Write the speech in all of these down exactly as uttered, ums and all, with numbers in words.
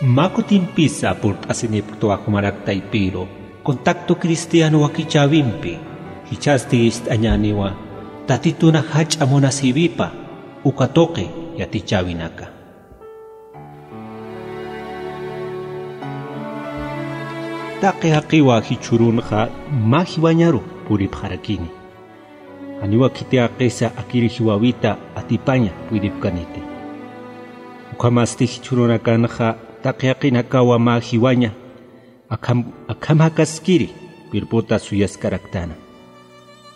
Mä kutimpisa purt'asinipktwa jumarak taypiru, Contacto Cristiano wakichäwimpi, jichhasti ist'añäniwa Tatituna jach'a munasïwipa uka tuqi yatichäwinaka. Taqi jaqiwa jichhürunxa mä jiwañaru puripxarakini. Janiwa khiti jaqisa akiri jiwäwita atipaña puydipkaniti. Ukhamasti jichhürunakanxa taqi jaqinakawa mä jiwaña akham, akham jakaskiri cuerpota suyaskaraktana.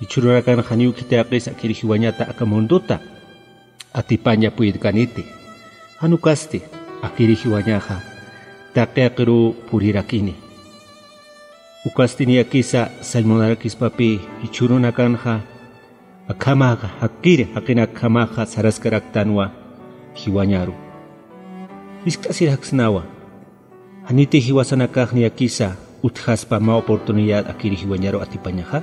Jichhürunakanxa janiw khiti jaqisa akiri jiwañata aka mundota atipaña puydkaniti. Jan ukasti akiri jiwañaxa taqi jaqiruw purirakini. Ukasti niyakisa sallmunarakispapï jichhürunakanxa akhamaxa, akiri jaqinakjamaxa saraskaraktanwa jiwañaru. Jiskt'asiraksnawa, janiti jiwasanakax niyakisa utjaspa mä oportunidad akiri jiwañaru atipañaxa.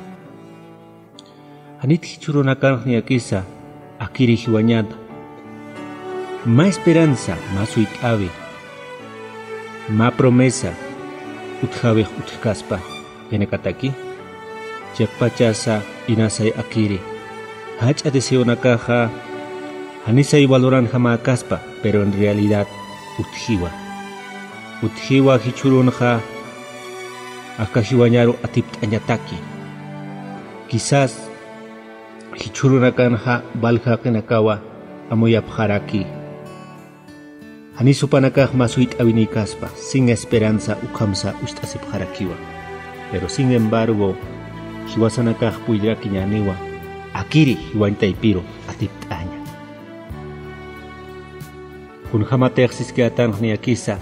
Janiti jichhürunakanx niyakisa akiri jiwañata mä esperanza, mä suyt'äwi, mä promesa utjäwix utjkaspa jaqinakataki. Chiqpachasa inasay akiri jach'a deseonakaxa janisay valoranjamäkaspa, pero en realidad utjiwa. Utjiwa jichhürunxa aka jiwañaru atipt'añataki. Quizás jichhürunakanxa valja jaqinakawa amuyapxaraki. Janis jupanakax mä suyt'äwinïkaspa, sin esperanza ukhamsa ucht'asipxarakiwa. Pero sin embargo, jiwasanakax puydirakiñäniwa akiri jiwañ taypiru atipt'aña. Kunjamatix siskiyätanx niyakisa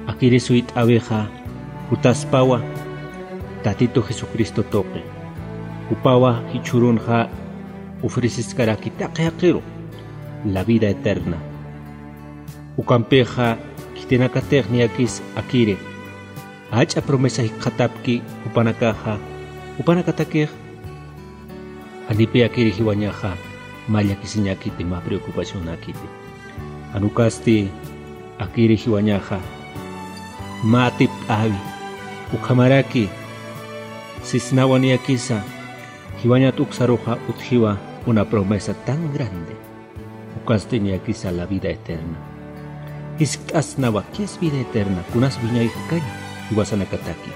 akiri suyt'äwixa jutaspawa Tatitu Jesucristo tuqi. Jupawa jichhürunxa ofreceskaraki taqi jaqiru la vida eterna. Ukampixa khitinakatix niyakis akiri jach'a promesa jikxatapki jupanakaxa, jupanakatakix janipï akiri jiwañaxa mä llakisiñäkiti, mä preocupacionäkiti. Jan ukasti akiri jiwañaxa mä atipt'äwi, ukhamaraki sisnawa niyakisa jiwañat uksaruxa utjiwa una promesa tan grande. Ukasti niyakisa la vida eterna. Jiskt'asnawa, ¿qué es vida eterna? Kunas wiñay jakaña jiwasanakataki.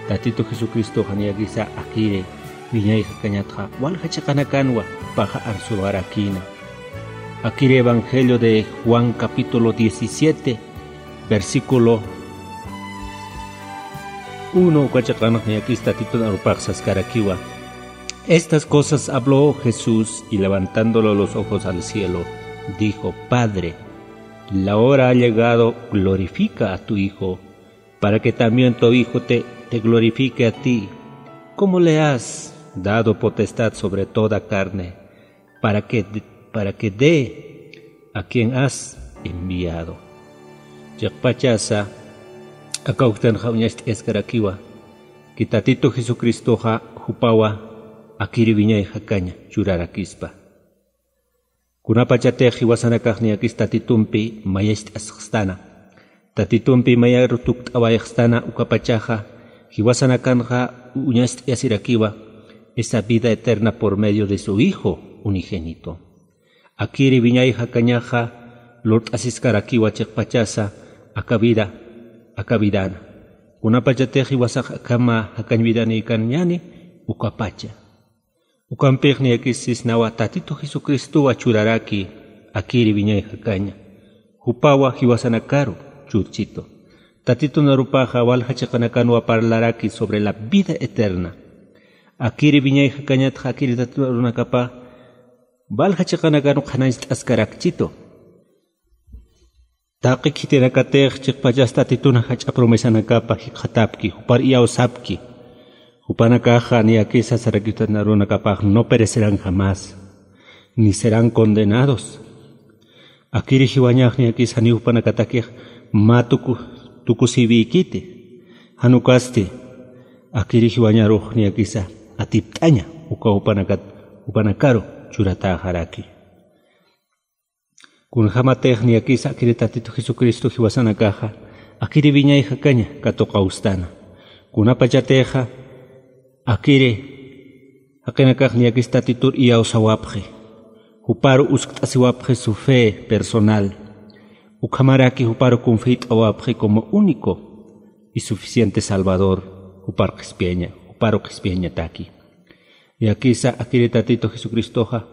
Tatitu Jesucristoxa niyakisa akiri wiñay jakañatxa walja chiqanakanwa jupaxa arsuwarakïna. Akiri Evangelio de Juan capítulo diecisiete, versículo uno, uka chiqanx niyakis Tatitun arupax saskarakiwa. Estas cosas habló Jesús, y levantándolo los ojos al cielo, dijo: Padre, la hora ha llegado, glorifica a tu Hijo, para que también tu Hijo te, te glorifique a ti, como le has dado potestad sobre toda carne, para que, para que dé a quien has enviado. Chiqpachasa, aka uktanxa uñacht'askarakiwa, que Tatitu Jesucristoxa jupawa akiri wiñay jakaña churarakispa. Kunapachatix jiwasanakax niyakis Tatitumpi mayacht'asxstana, Tatitumpi mayaru tukt'awayxstana, ukapachaxa jiwasanakanxa uñacht'asirakiwa esa vida eterna por medio de su Hijo unigénito. Akiri wiñay jakañaxa lurt'asiskarakiwa chiqpachasa aka vida, aka vidana. Kunapachatix jiwasax akhama jakañ vidanïkañäni, ukapacha. Ukampix niyakis sisnawa Tatitu Jesucristowa churaraki akiri wiñay jakaña. Jupawa jiwasanakaru churchitu. Tatitun arupaxa walja chiqanakanwa parlaraki sobre la vida eterna. Akiri wiñay jakañatxa akiri Tatitun arunakapax walja chiqanakanwa qhanañcht'askarakchitu. Taqi khitinakatix chiqpachas Tatitun jach'a promesanakapa jikxatapki, jupar iyawsapki. Jupanakaxa niyakisa sarakitan arunakapax no perecerán jamás, ni serán condenados. Akiri jiwañax niyakisa janiw jupanakatakix mä tuku, tukusïwïkiti. Jan ukasti, akiri jiwañarux niyakisa atipt'aña, uka jupanakat, jupanakaru churatäxaraki. Kunjamatix niyakisa akiri Tatitu Jesucristo jiwasanakaxa Akiri wiñay jakaña katuqawstana. Kunapachatixa akiri jaqinakax niyakis Tatitur iyawsawapxi, juparu uskt'asiwapxi su fe personal, ukhamaraki juparu confiyt'awapxi como único y suficiente Salvador, jupar qhispiyaña, juparu qhispiyañataki. Niyakisa akiri Tatitu Jesucristoxa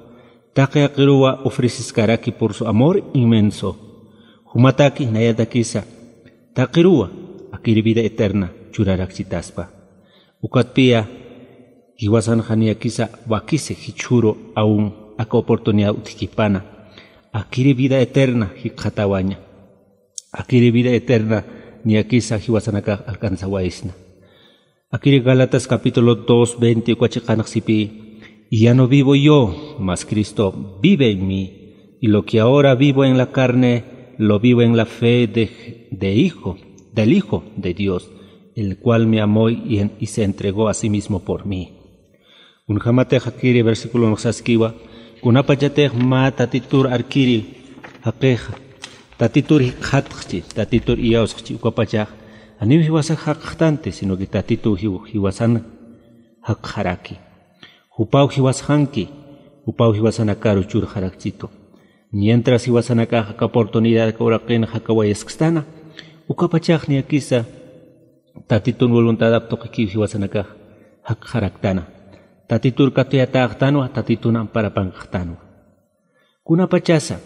taqi jaqiruwa ofreceskaraki por su amor inmenso. Jumataki nayatakisa taqiruwa akiri vida eterna churarakchitaspa. Ukatpiya jiwasanxa niyakisa wakisi jichhüru aún aka oportunidad utjkipana akiri vida eterna jikxatawaña. Akiri vida eterna niyakisa jiwasanakax alcanzawaysna. Akiri Gálatas capítulo dos veinte uka chiqanx sipï: "Y ya no vivo yo, mas Cristo vive en mí. Y lo que ahora vivo en la carne, lo vivo en la fe de, de Hijo, del Hijo de Dios, el cual me amó y en-, y se entregó a sí mismo por mí". Kunjamatix akiri versículonx saskiwa, kunapachatix mä Tatitur arkiri jaqixa, Tatitur jikxatxchi, Tatitur iyawsxchi, ukapachax janiw jiwasax jakxtanti, sino que Tatitu jiw-, jiwasan jakxaraki. Jupaw jiwasxanki, jupaw jiwasanakaru churxarakchitu. Mientras jiwasanakax aka oportunidad aka uraqin jakawayaskstana, ukapachax niyakisa Tatitun voluntadap tuqikiw jiwasanakax jakxaraktana. Tatitur katuyatäxtanwa, Tatitun amparapankaxtanwa. Kunapachasa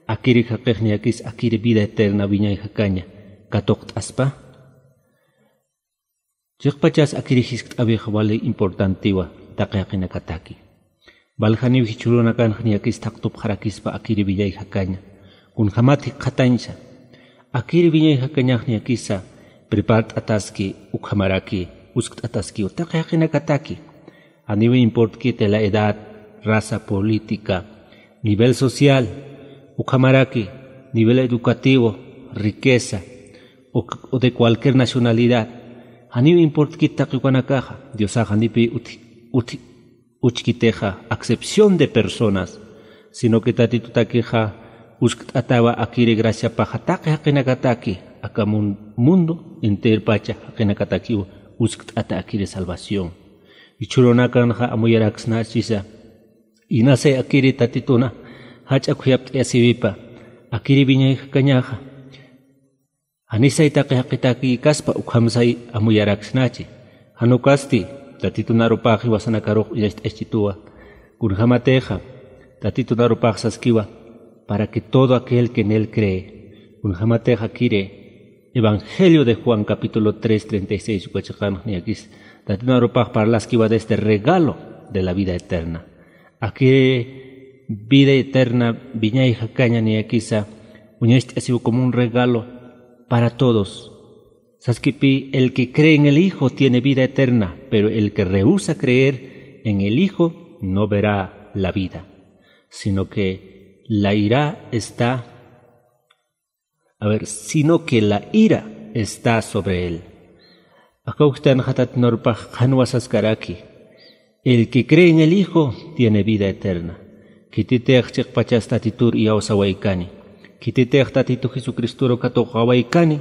akiri jaqix niyakis akiri vida eterna wiñay jakaña katuqt'aspa. Chiqpachas akiri jiskt'äwix wali importantiwa taqi jaqinakataki. Waljaniw jichhürunakanx niyakis thaqtupxarakispa akiri wiñay jakaña. Kunjamat jikxatañsa akiri wiñay jakañax niyakisa prepart'ataski ukhamaraki uskt'ataskiw taqi jaqinakataki. Janiw importkiti la edad, raza política, nivel social, ukhamaraki nivel educativo, riqueza, o, o de cualquier nacionalidad. Janiw importkiti taqi ukanakaxa, Diosax janipï uti, uti, uchkitixa, acepción de personas, sino que Tatitutakixa uskt'atawa akiri graciapaxa taqi jaqinakataki, aka mun-, mundo enterpacha jaqinakatakiw uskt'ata akiri salvación. Jichhürunakanxa amuyaraksnachisa, inasay akiri Tatituna jach'a khuyapt'ayasiwipa, akiri wiñay jakañaxa. Janisay taqi jaqitaki kaspa ukhamsay amuyaraksnachi. Jan ukasti Tatitun arupax jiwasanakarux uñacht'aschituwa. Kunjamatixa Tatitun arupax saskiwa: "Para que todo aquel que en él cree". Kunjamatixa akiri Evangelio de Juan capítulo tres treinta y seis uka chiqanx niyakis Tatitun arupax parlaskiwa de este regalo de la vida eterna. Akiri vida eterna wiñay jakaña niyakisa uñacht'asiw como un regalo para todos. Saskipï: "El que cree en el Hijo tiene vida eterna, pero el que rehúsa creer en el Hijo no verá la vida, sino que la ira está, a ver, sino que la ira está sobre él". Aka uktanxa Tatitun arupax qhanwa saskaraki: "El que cree en el Hijo tiene vida eterna". Khititix chiqpachas Tatitur iyawsawaykani, khititix Tatitu Jesucristoru katuqawaykani,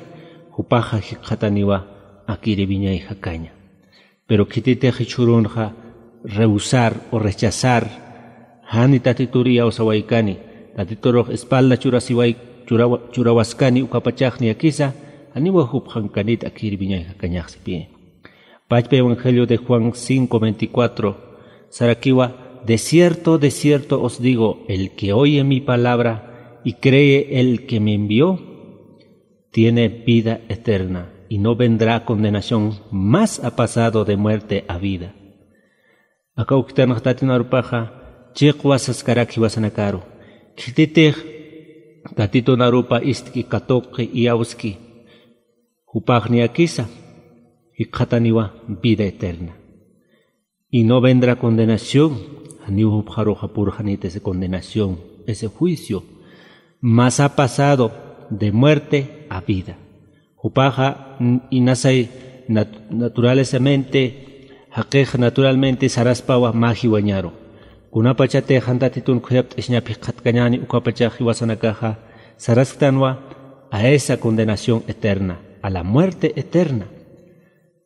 jupaxa jikxataniwa akiri wiñay jakaña. Pero khititix jichhürunxa rehusar o rechazar, jani Tatitur iyawsawaykani, Tatiturux espalda churasiway-, churawa-, churawaskani ukapachax niyakisa, janiwa jupxankanit akiri wiñay jakañax sipï. Pachpa Evangelio de Juan cinco veinticuatro sarakiwa: "De cierto, de cierto os digo, el que oye mi palabra y cree el que me envió, tiene vida eterna, y no vendrá condenación, mas ha pasado de muerte a vida". Aka uktanxa Tatitun arupaxa chiqwa saskarak jiwasanakaru. Khititix Tatitun arupa ist'ki, katuqi, iyawski, jupax niyakisa jikxataniwa vida eterna. Y no vendrá condenación, janiw jupxaruxa purxanit esa condenación, ese juicio, mas ha pasado de muerte a vida. Jupaxa, n-, inasay nat-, naturalezamente, jaqix naturalmente saraspawa mä jiwañaru. Kunapachatix jan Tatitun khuyapt'asiñap jikxatkañäni ukapachax jiwasanakaxa sarasktanwa a esa condenación eterna. a la muerte eterna.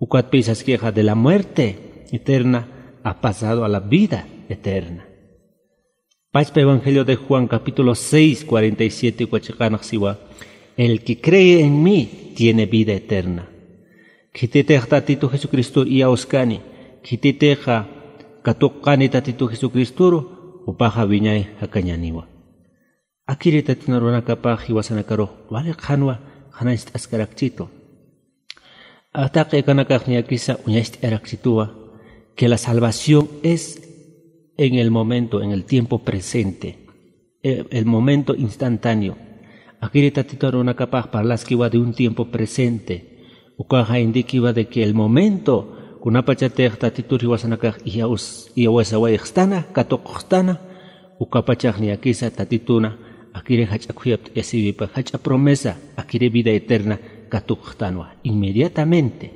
Ukatpï saskixa, de la muerte eterna ha pasado a la vida eterna. Pachpa Evangelio de Juan capítulo seis, cuarenta y siete uka chiqanx siwa: "El que cree en mí tiene vida eterna". Khititix Tatitu Jesucristor iyawskani, khititixa katuqani Tatitu Jesucristoru, jupaxa wiñay jakañäniwa. Akiri Tatitun arunakapax jiwasanakarux wali qhanwa qhanañcht'askarakchitu. Taqi akanakax niyakisa uñacht'ayarakchituwa que la salvación es en el momento, en el tiempo presente, el, el momento instantáneo. Akiri Tatitun arunakapax parlaskiwa de un tiempo presente. Ukaxa indikiwa de que el momento kunapachatix Tatitur jiwasanakax iyaws-, iyawsawayxstana, katuqxtana, ukapachax niyakisa Tatituna akiri jach'a khuyapt'ayasiwipa, jach'a promesa, akiri vida eterna katuqxtanwa. Inmediatamente.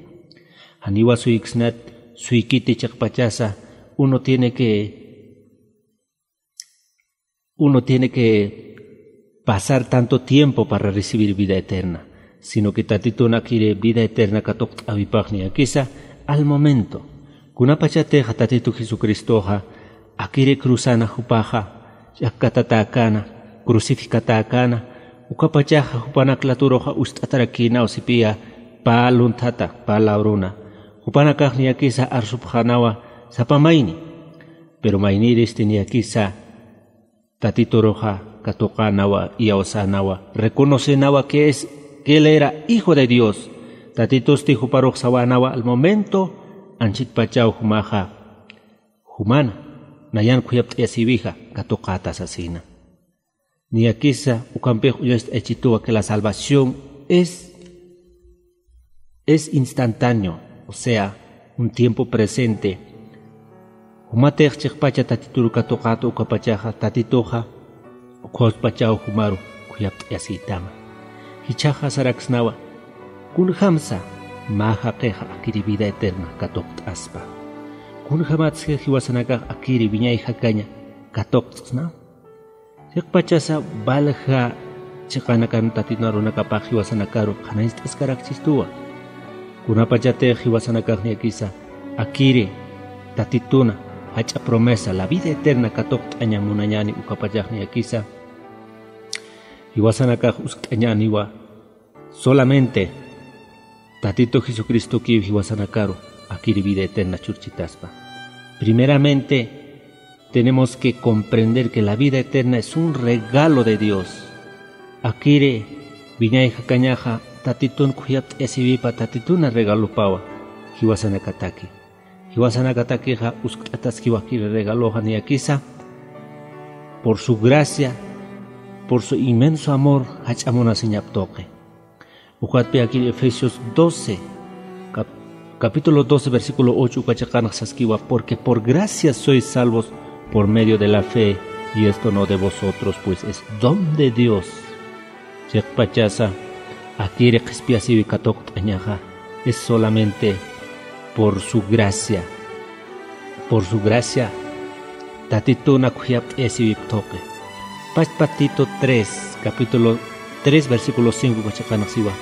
Janiwa suyksnat, suykiti chiqpachasa, uno tiene que, uno tiene que pasar tanto tiempo para recibir vida eterna, sino que Tatitun akiri vida eterna katuqt'äwipax niyakisa al momento. Kunapachatix Tatitu Jesucristoxa akiri cruzana jupaxa, ch'akkatatäkäna, crucificatäkäna, ukapachaxa jupanak laturuxa uñst'atarakïnaw sipiya pä lunthata, pä lawruna. Jupanakax niyakisa arsupxänawa sapa mayni. Pero maynïristi niyakisa Tatituruxa katuqänawa, iyawsänawa, reconocenawa que es, que él era hijo de Dios. Tatitusti juparux sawänawa al momento, anchhitpachaw jumaxa jumana, nayan khuyapt'ayasiwixa katuqäta sasina. Niyakisa ukampix uñacht'ayachituwa que la salvación es, es instantáneo, o sea, un tiempo presente. Jumatix chiqpacha Tatitur katuqäta ukapachaxa, Tatituxa ukhaw saspachaw jumaru khuyapt'ayasïtama. Jichhaxa saraksnawa, kunjamsa mä jaqixa akiri vida eterna katuqt'aspa. Kunjamatsa jiwasanakax akiri wiñay jakaña katuqt'sna. Chiqpachasa walja chiqanakan Tatitun arunakapax jiwasanakaru qhanañcht'askarakchistuwa. Kunapachatix jiwasanakax niyakisa akiri Tatituna jach'a promesa, la vida eterna katuqt'aña munañäni ukapachax niyakisa jiwasanakax uskt'añäniwa. Solamente Tatitu Jesucristokiw jiwasanakaru akiri vida eterna churchitaspa. Primeramente, tenemos que comprender que la vida eterna es un regalo de Dios. Akiri wiñay jakañaxa Tatitun khuyapt'ayasiwipa, Tatituna regalopawa jiwasanakataki. Jiwasanakatakixa uskt'ataskiwa akiri regaloxa niyakisa por su gracia, por su inmenso amor, jach'a munasiñap tuqi. Ukatpï akiri Efesios doce, cap-, capítulo doce, versículo ocho uka chiqanx saskiwa: "Porque por gracia sois salvos por medio de la fe, y esto no de vosotros, pues es don de Dios". Chiqpachasa akiri qhispiyasiwi katuqt'añaxa es solamente por su gracia. Por su gracia, Tatituna khuyapt'ayasiwip tuqi. Pachpa Tito tres, capítulo tres, versículo cinco uka chiqanx siwa: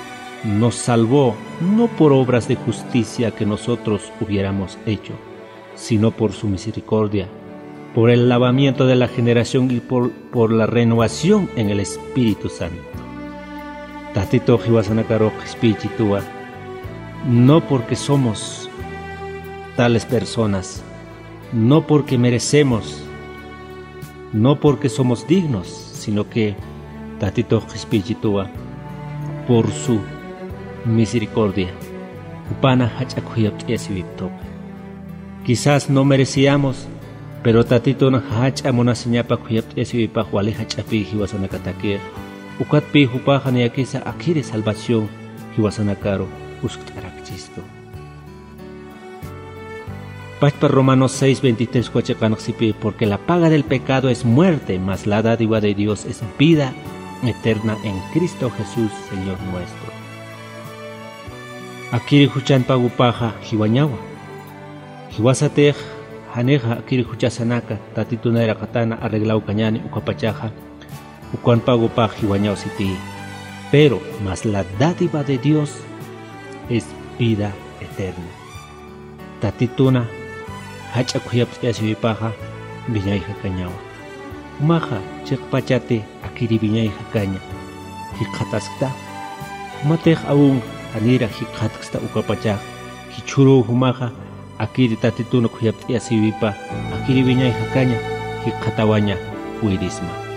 "Nos salvó no por obras de justicia que nosotros hubiéramos hecho, sino por su misericordia, por el lavamiento de la generación y por, por la renovación en el Espíritu Santo". Tatitux jiwasanakarux qhispiychituwa, no porque somos tales personas, no porque merecemos, no porque somos dignos, sino que Tatitux qhispiychituwa por su misericordia, jupana jach'a khuyapt'ayasiwip tuqi. Quizás no merecíamos, pero Tatitun jach'a munasiñapa khuyapt'ayasiwipax wali jach'apï jiwasanakatakix. Ukatpï jupaxa niyakisa akiri salvación jiwasanakaru uskt'arakchistu. Pachpa Romanos seis veintitrés uka chiqanx sipï: "Porque la paga del pecado es muerte, mas la dádiva de Dios es vida eterna en Cristo Jesús, Señor nuestro". Akiri juchan pagopaxa jiwañawa. Jiwasatix janixa akiri juchasanaka Tatitun nayraqatana arreglawkañäni ukapachaxa, ukan pagopax jiwañaw sitï. Pero mas la dádiva de Dios es vida eterna. Tatituna jach'a khuyapt'ayasiwipaxa wiñay jakañawa. Jumaxa chiqpachati akiri wiñay jakaña jikxataskta. Jumatix awun janira jikxatksta ukapachax, jichhüruw jumaxa akiri Tatituna khuyapt'ayasiwipa akiri wiñay jakaña jikxatawaña puydisma.